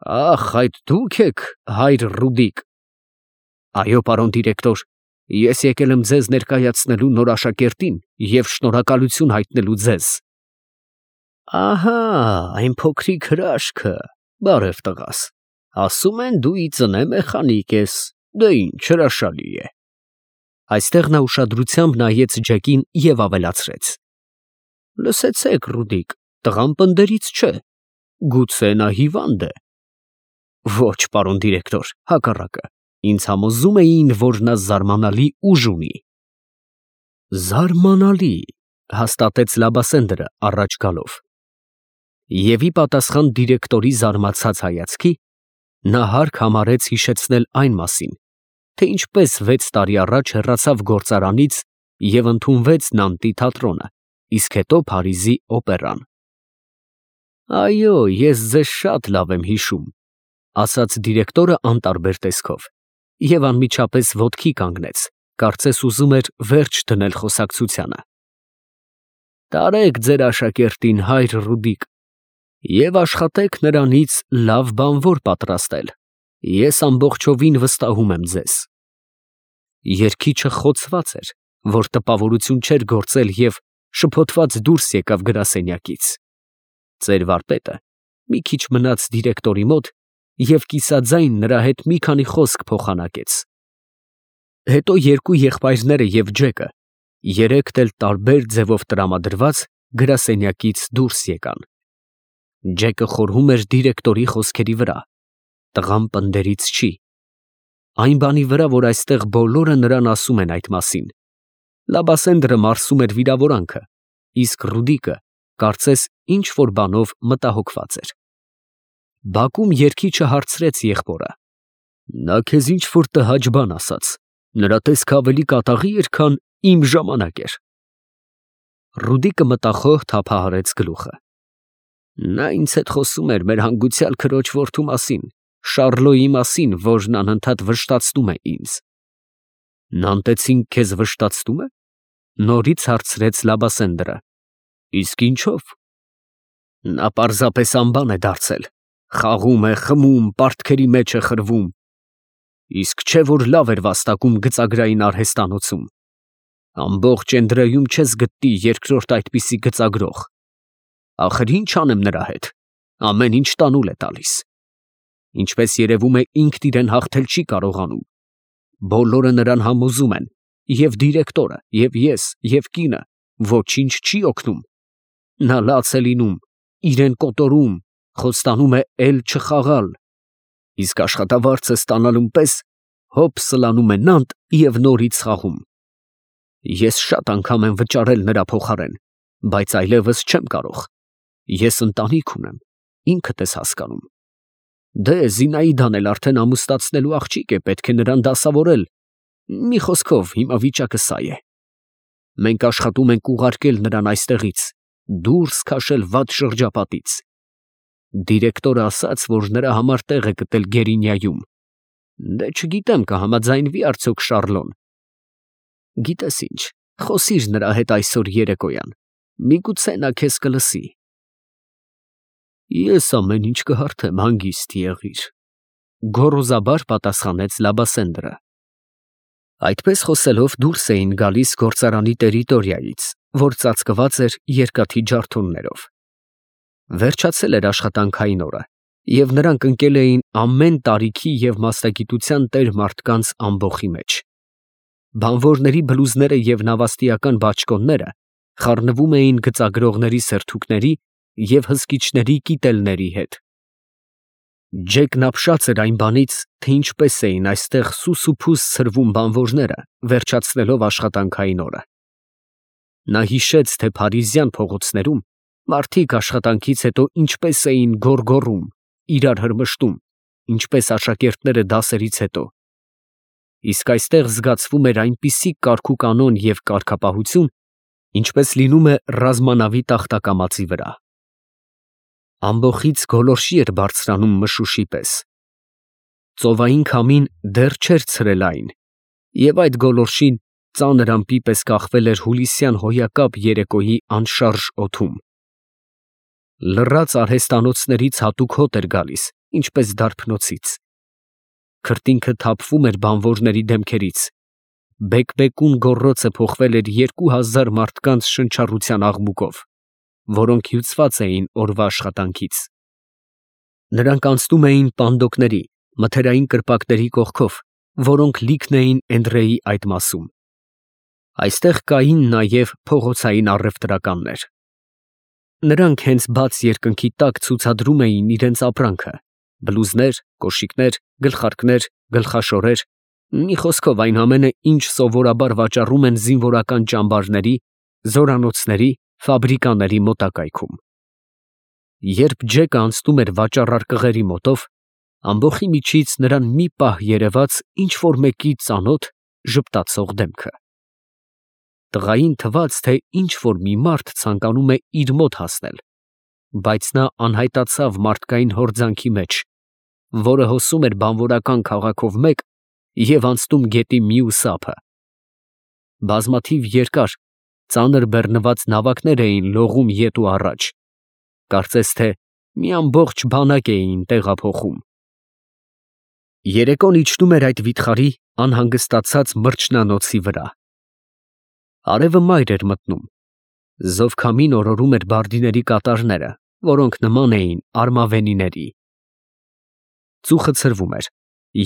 Ախ, այդ դուք եք, հայր Ռուդիկ։ Այո, պարոն դիրեկտոր, ես եկել եմ ձեզ ներկայացնելու նոր աշակերտին և շնորհակալություն հայտնելու ձեզ։ Ահա, այն փոքրիկ հրաշքը, բարև տղաս, ասում են դու ի ծնե մեխանիկ ես, դե ինչ հրաշալի է։ Այստեղ նա ուշադրությամբ նայեց Ջեկին և ավելացրեց. Լսեցեք, Ռուդիկ, տղան պնդերից չէ, գուցե նա հիվանդ է։ Ոչ, պարոն դիրեկտոր, հակառակը, ինձ համոզում էին, որ նա զարմանալի ուժ ունի։ Զարմանալի, հաստատեց Լաբասենդրը առաջ գալով։ Եվ ի պատասխան դիրեկտորի զարմացած հայացքի, նա հարկ համարեց հիշեցնել այն մասին, թե ինչպես 6 տարի առաջ հեռացավ գործարանից և ընդունվեց Նանտի թատրոնը, իսկ հետո Փարիզի օպերան։ Այո, ես ձեզ շատ լավ եմ հիշում, ասաց դիրեկտորը անտարբեր տեսքով և անմիջապես ոտքի կանգնեց, կարծես ուզում էր վերջ դնել խոսակցությանը։ Տարեք ձեր աշակերտին, հայր Ռուդիկ, և աշխատեք նրանից լավ բանվոր պատրաստել, ես ամբողջովին վստահում եմ ձեզ։ Երգիչը խոցված էր, որ տպավորություն չէր գործել և շփոթված դուրս եկավ գրասենյակից։ Ծեր վարպետը մի քիչ մնաց դիրեկտորի մոտ և կիսաձայն նրա հետ մի քանի խոսք փոխանակեց։ Հետո երկու եղբայրները և Ջեկը, երեքդ էլ տարբեր ձևով տրամադրված, գրասենյակից դուրս եկան։ Ջեկը խորհում էր դիրեկտորի խոսքերի վրա, տղան պնդերից չի։ Այն բանի վրա, որ այստեղ բոլորը նրան ասում են այդ մասին։ Լաբասենդրը մարսում էր վիրավորանքը, իսկ Ռուդիկը, կարծես, ինչ-որ բանով մտահոգված էր։ Բակում երգիչը հարցրեց եղբորը. նա քեզ ինչ-որ տհաճ բան ասաց, նրա տեսքը ավելի կատաղի էր, քան իմ ժամանակ էր։ Ռուդիկը մտախոհ թափահարեց գլուխը։ Նա ինձ հետ խոսում էր մեր հանգուցյալ քրոջ որդու մասին, Շառլոյի մասին, որն անընդհատ վշտացնում է ինձ։ Նանտեցին քեզ վշտացնում է, նորից հարցրեց Լաբասենդրը։ Իսկ ինչով։ Նա պարզապես անբան է դարձել, խաղում է, խմում, պարտքերի մեջ է խրվում։ Իսկ չէ որ լավ էր վաստակում գծագրային արհեստանոցում։ Ամբողջ Էնդրեում չես գտնի երկրորդ այդպիսի գծագրող։ Ախր ինչ անեմ նրա հետ, ամեն ինչ տանուլ է տալիս։ Ինչպես երևում է, ինքն իրեն հաղթել չի կարողանում։ Բոլորը նրան համոզում են, և դիրեկտորը, և ես, և կինը, ոչինչ չի օգնում։ Նա լաց է լինում, իրեն կոտորում, խոստանում է էլ չխաղալ, իսկ աշխատավարձը ստանալուն պես հոп սլանում է Նանտ և նորից խաղում։ Ես շատ անգամ եմ վճարել նրա փոխարեն, բայց այլևս չեմ կարող։ Ես ընտանիք ունեմ, ինքդ ես հասկանում։ Դե Զինաիդան էլ արդեն ամուսնացնելու աղջիկ է, պետք է նրան դասավորել։ Մի խոսքով, հիմա վիճակը սա է։ Մենք աշխատում ենք ուղարկել նրան այստեղից, դուրս քաշել վատ շրջապատից։ Դիրեկտորը ասաց, որ նրա համար տեղ է գտել Գերինիայում։ Դե չգիտեմ կհամաձայնվի արդյոք Շառլոն։ Գիտես ինչ, խոսիր նրա հետ այսօր երեկոյան, միգուցե նա քեզ կլսի։ Ես ամեն ինչ կհարթեմ, հանգիստ եղիր, գոռոզաբար պատասխանեց Լաբասենդրը։ Այդպես խոսելով դուրս էին գալիս գործարանի տերիտորիայից, որ ծածկված էր երկաթի ջարդոններով։ Վերջացել էր աշխատանքային օրը, և նրանք ընկել էին ամեն տարիքի և մասնագիտության տեր մարդկանց ամբոխի մեջ։ Բանվորների բլուզները և նավաստիական բաճկոնները խառնվում էին գծագրողների սերթուկների և հսկիչների կիտելների հետ։ Ջեկն ապշած էր այն բանից, թե ինչպես էին այստեղ սուս ու փուս ցրվում բանվորները, վերջացնելով աշխատանքային օրը։ Նա հիշեց, թե փարիզյան փողոցներում մարդիկ աշխատանքից հետո ինչպես էին գոռգոռում, իրար հրմշտում, ինչպես աշակերտները դասերից հետո։ Իսկ այստեղ զգացվում էր այնպիսի կարգուկանոն և կարգապահություն, ինչպես լինում է ռազմանավի տախտակամածի վրա։ Ամբոխից գոլորշի էր բարձրանում մշուշի պես։ Ծովային քամին դեռ չէր ցրել այն, և այդ գոլորշին ծանր ամպի պես կախվել էր հուլիսյան հոյակապ երեկոյի անշարժ օդում։ Լռած արհեստանոցներից հատուկ հոտ էր գալիս ինչպես դարբնոցից։ Քրտինքը թափվում էր բանվորների դեմքերից։ Բեկ-բեկուն գոռոցը փոխվել էր 2000 մարդկանց շնչառության աղմուկով, որոնք հյուծված էին օրվա աշխատանքից։ Նրանք անցնում էին պանդոկների, մթերային կրպակների կողքով, որոնք լիքն էին Էնդրեի այդ մասում։ Այստեղ կային նաև փողոցային առևտրականներ։ Նրանք հենց բաց երկնքի տակ ցուցադրում էին իրենց ապրանքը. բլուզներ, կոշիկներ, գլխարկներ, գլխաշորեր, մի խոսքով այն ամենը, ինչ սովորաբար վաճառում են զինվորական ճամբարների, զորանոցների, ֆաբրիկաների մոտակայքում։ Երբ Ջեկը անցնում էր վաճառարկղերի մոտով, ամբոխի միջից նրան մի պահ երևաց ինչ-որ մեկի ծանոթ, ժպտացող դեմքը։ Տղային թվաց, թե ինչ-որ մի մարդ ցանկանում է իր մոտ հասնել, բայց նա անհայտացավ մարդկային հորձանքի մեջ, որը հոսում էր բանվորական քաղաքով մեկ և անցնում գետի մյուս ափը։ Բազմաթիվ երկար, ծանր բեռնված նավակներ էին լողում ետ ու առաջ, կարծես թե մի ամբողջ բանակ էին տեղափոխում։ Երեկոն իջնում էր այդ վիթխարի անհանգստացած մրջնանոցի վրա։ Արևը մայր էր մտնում։ Զովքամին օրորում էր բարդիների կատարները, որոնք նման էին արմավենիների։ Ծուխը ցրվում էր,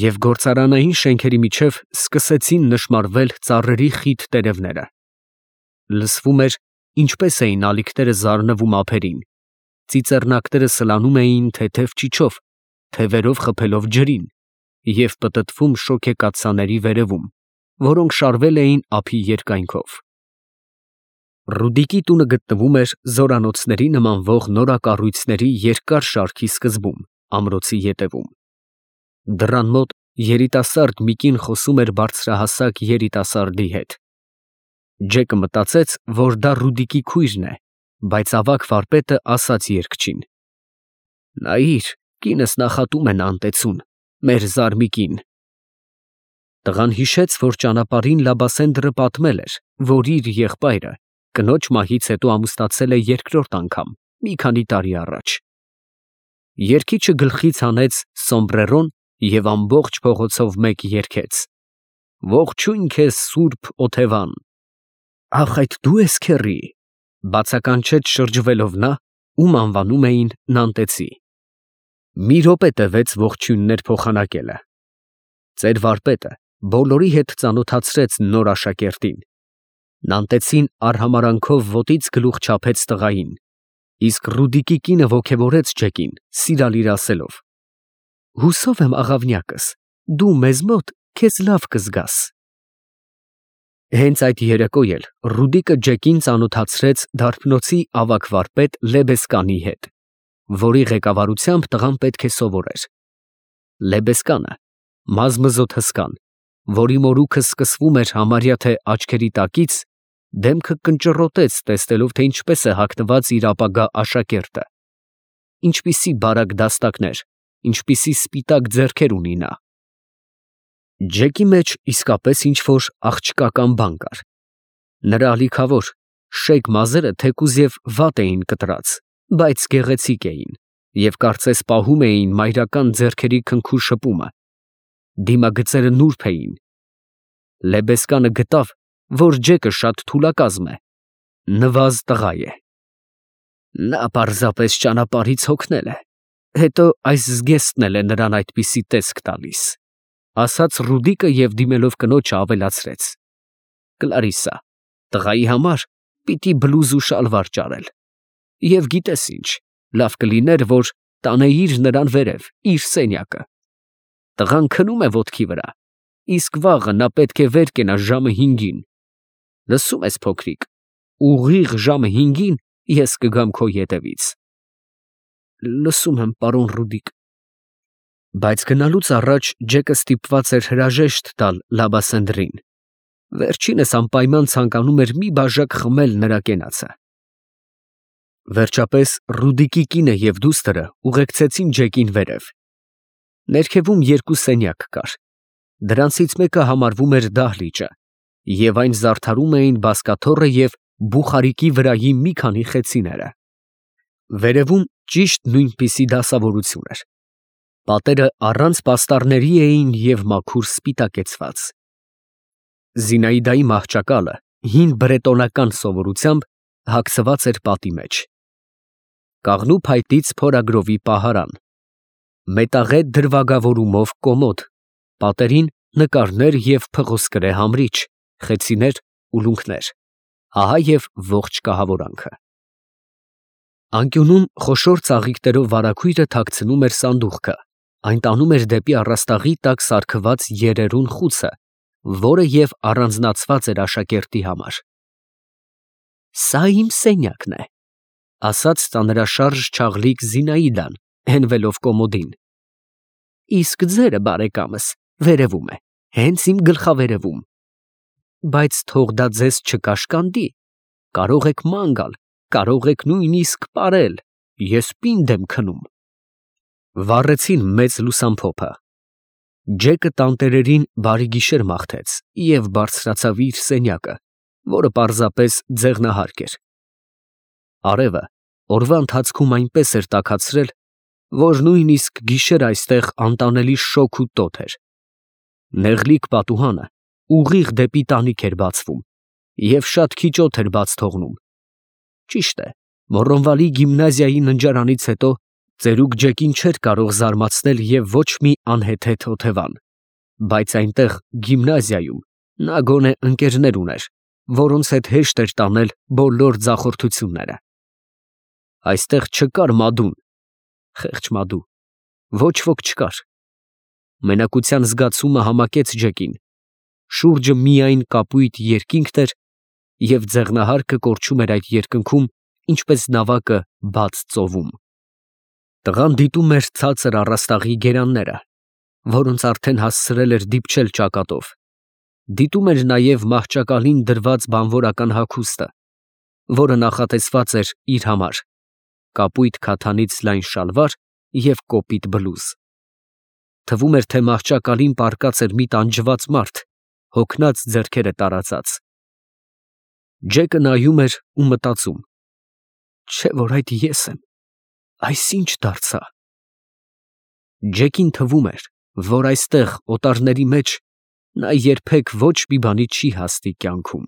և գործարանային շենքերի միջև սկսեցին նշմարվել ծառերի խիտ տերևները։ Լսվում էր, ինչպես էին ալիքները զարնվում ափերին, ծիծեռնակները սլանում էին թեթև ճիչով, թևերով խփելով ջրին և պտտվում շոգեկաթսաների վերևում, որոնք շարվել էին ափի երկայնքով։ Ռուդիկի տունը գտնվում էր զորանոցների նմանվող նորակառույցների երկար շարքի սկզբում, ամրոցի ետևում։ Դռան մոտ երիտասարդ մի կին խոսում էր բարձրահասակ երիտասարդի հետ։ Ջեկը մտածեց, որ դա Ռուդիկի քույրն է, բայց ավագ վարպետը ասաց երգչին. «Նայիր, կինս նախատում են անտեցուն, մեր զարմիկին»։ Տղան հիշեց, որ ճանապարհին Լաբասենդրը պատմել էր, որ իր եղբայրը կնոջ մահից հետո ամուսնացել է երկրորդ անգամ, մի քանի տարի առաջ։ Երգիչը գլխից հանեց սոմբրերոն և ամբողջ փողոցով մեկ երգեց. «Ողջույն քեզ, Սուրբ Օթևան»։ «Ախ, այդ դու ես, քեռի», բացականչեց շրջվելով նա, ում անվանում էին Նանտեցի։ Մի րոպե տևեց ողջույններ փոխանակելը։ Ծեր վարպետը բոլորի հետ ծանոթացրեց նոր աշակերտին։ Նանտեցին արհամարանքով ոտից գլուխ չափեց տղային, իսկ Ռուդիկի կինը ոգևորեց Ջեկին, սիրալիր ասելով. «Հուսով եմ, աղավնյակս, դու մեզ մոտ քեզ լավ կզգաս»։ Հենց այդ երեկո էլ Ռուդիկը Ջեկին ծանոթացրեց դարբնոցի ավագ վարպետ Լեբեսկանի հետ, որի ղեկավարությամբ տղան պետք է սովորեր։ Լեբեսկանը մազմզոտ հսկան, որի մորուքը սկսվում էր համարյա թե աչքերի տակից, դեմքը կնճռոտեց, տեսնելով, թե ինչպես է հագնված իր ապագա աշակերտը, ինչպիսի բարակ դաստակներ, ինչպիսի սպիտակ ձեռքեր ունի նա։ Ջեկի մեջ իսկապես ինչ-որ աղջկական բան կար։ Նրա ալիքավոր, շեկ մազերը թեկուզ և վատ էին կտրած, բայց գեղեցիկ էին և կարծես պահում էին մայրական ձեռքերի քնքուշ շպումը։ Դիմագծերը նուրբ էին։ Լեբեսկանը գտավ, որ Ջեկը շատ թուլակազմ է, նվազ տղա է։ Նա պարզապես ճանապարհից հոգնել է, հետո այս զգեստն էլ է նրան այդպիսի տեսք տալիս, ասաց Ռուդիկը և դիմելով կնոջը ավելացրեց. «Կլարիսսա, տղայի համար պիտի բլուզ ու շալվար ճարել, և գիտես ինչ, լավ կլիներ, որ տանեիր նրան վերև, իր սենյակը։ Տղան քնում է ոտքի վրա, իսկ վաղը նա պետք է վեր կենա ժամը 5-ին։ Լսում ես, փոքրիկ, ուղիղ ժամը 5-ին ես կգամ քո ետևից»։ «Լսում եմ, պարոն Ռուդիկ»։ Բայց գնալուց առաջ Ջեկը ստիպված էր հրաժեշտ տալ Լաբասենդրին։ Վերջինս անպայման ցանկանում էր մի բաժակ խմել նրա կենացը։ Վերջապես Ռուդիկի կինը և դուստրը ուղեկցեցին Ջեկին վերև։ Ներքևում երկու սենյակ կար։ Դրանցից մեկը համարվում էր դահլիճը, և այն զարդարում էին բազկաթոռը և բուխարիկի վրայի մի քանի խեցիները։ Վերևում ճիշտ նույնպիսի դասավորություն էր։ Պատերը առանց պաստառների էին և մաքուր սպիտակեցված։ Զինայդայի մահճակալը հին բրետոնական սովորությամբ հագցված էր պատի մեջ։ Կաղնու փայտից փորագրովի պահարան, մետաղե դրվագավորումով կոմոդ, պատերին նկարներ և փղոսկրե համրիչ, խեցիներ, ուլունքներ, ահա և ողջ կահավորանքը։ Անկյունում խոշոր ծաղիկներով վարագույրը թաքցնում էր սանդուղքը, այն տանում էր դեպի առաստաղի տակ սարքված երերուն խուցը, որը և առանձնացված էր աշակերտի համար։ «Սա իմ սենյակն է», ֊ ասաց ծանրաշարժ չաղլիկ Զինայդան, հենվելով կոմոդին։ «Իսկ ձերը, բարեկամս, վերևում է, հենց իմ գլխավերևում։ Բայց թող դա ձեզ չկաշկանդի, կարող եք ման գալ, կարող եք նույնիսկ պարել, ես պինդ եմ քնում»։ Վառեցին մեծ լուսամփոփը։ Ջեկը տանտերերին բարի գիշեր մաղթեց և բարձրացավ իր սենյակը, որը պարզապես ձեղնահարկ էր։ Արևը օրվա ընթացքում այնպես էր տաքացրել, որ նույնիսկ գիշերը այստեղ անտանելի շոգ ու տոթ էր։ Նեղլիկ պատուհանը ուղիղ դեպի տանիք էր բացվում և շատ քիչ օդ էր բաց թողնում։ Ճիշտ է, Մոռոնվալի գիմնազիայի ննջարանից հետո ծերուկ Ջեկին չէր կարող զարմացնել և ոչ մի անհեթեթ օթևան, բայց այնտեղ գիմնազիայում նա գոնե ընկերներ ուներ, որոնց հետ հեշտ էր տանել բոլոր ձախորդությունները։ Այստեղ չկար Մադուն, խեղճ Մադու, ոչ ոք չկար։ Մենակության զգացումը համակեց Ջեկին, շուրջը միայն կապույտ երկինքն էր և ձեղնահարկը կորչում էր այդ երկնքում, ինչպես նավակը բաց ծովում։ Տղան դիտում էր ցածր առաստաղի գերանները, որոնց արդեն հասցրել էր դիպչել ճակատով, դիտում էր նաև մահճակալին դրված բանվորական հագուստը, որը նախատեսված էր իր համար, կապույտ քաթանից լայն շալվար և կոպիտ բլուզ։ Թվում էր, թե մահճակալին պառկած էր մի տանջված մարդ, հոգնած ձեռքերը տարածած։ Ջեկը նայում էր ու մտածում. «Չէ՞ որ այդ ես եմ, այս ի՞նչ դարձա»։ Ջեկին թվում էր, որ այստեղ, օտարների մեջ, նա երբեք ոչ մի բանի չի հասնի կյանքում։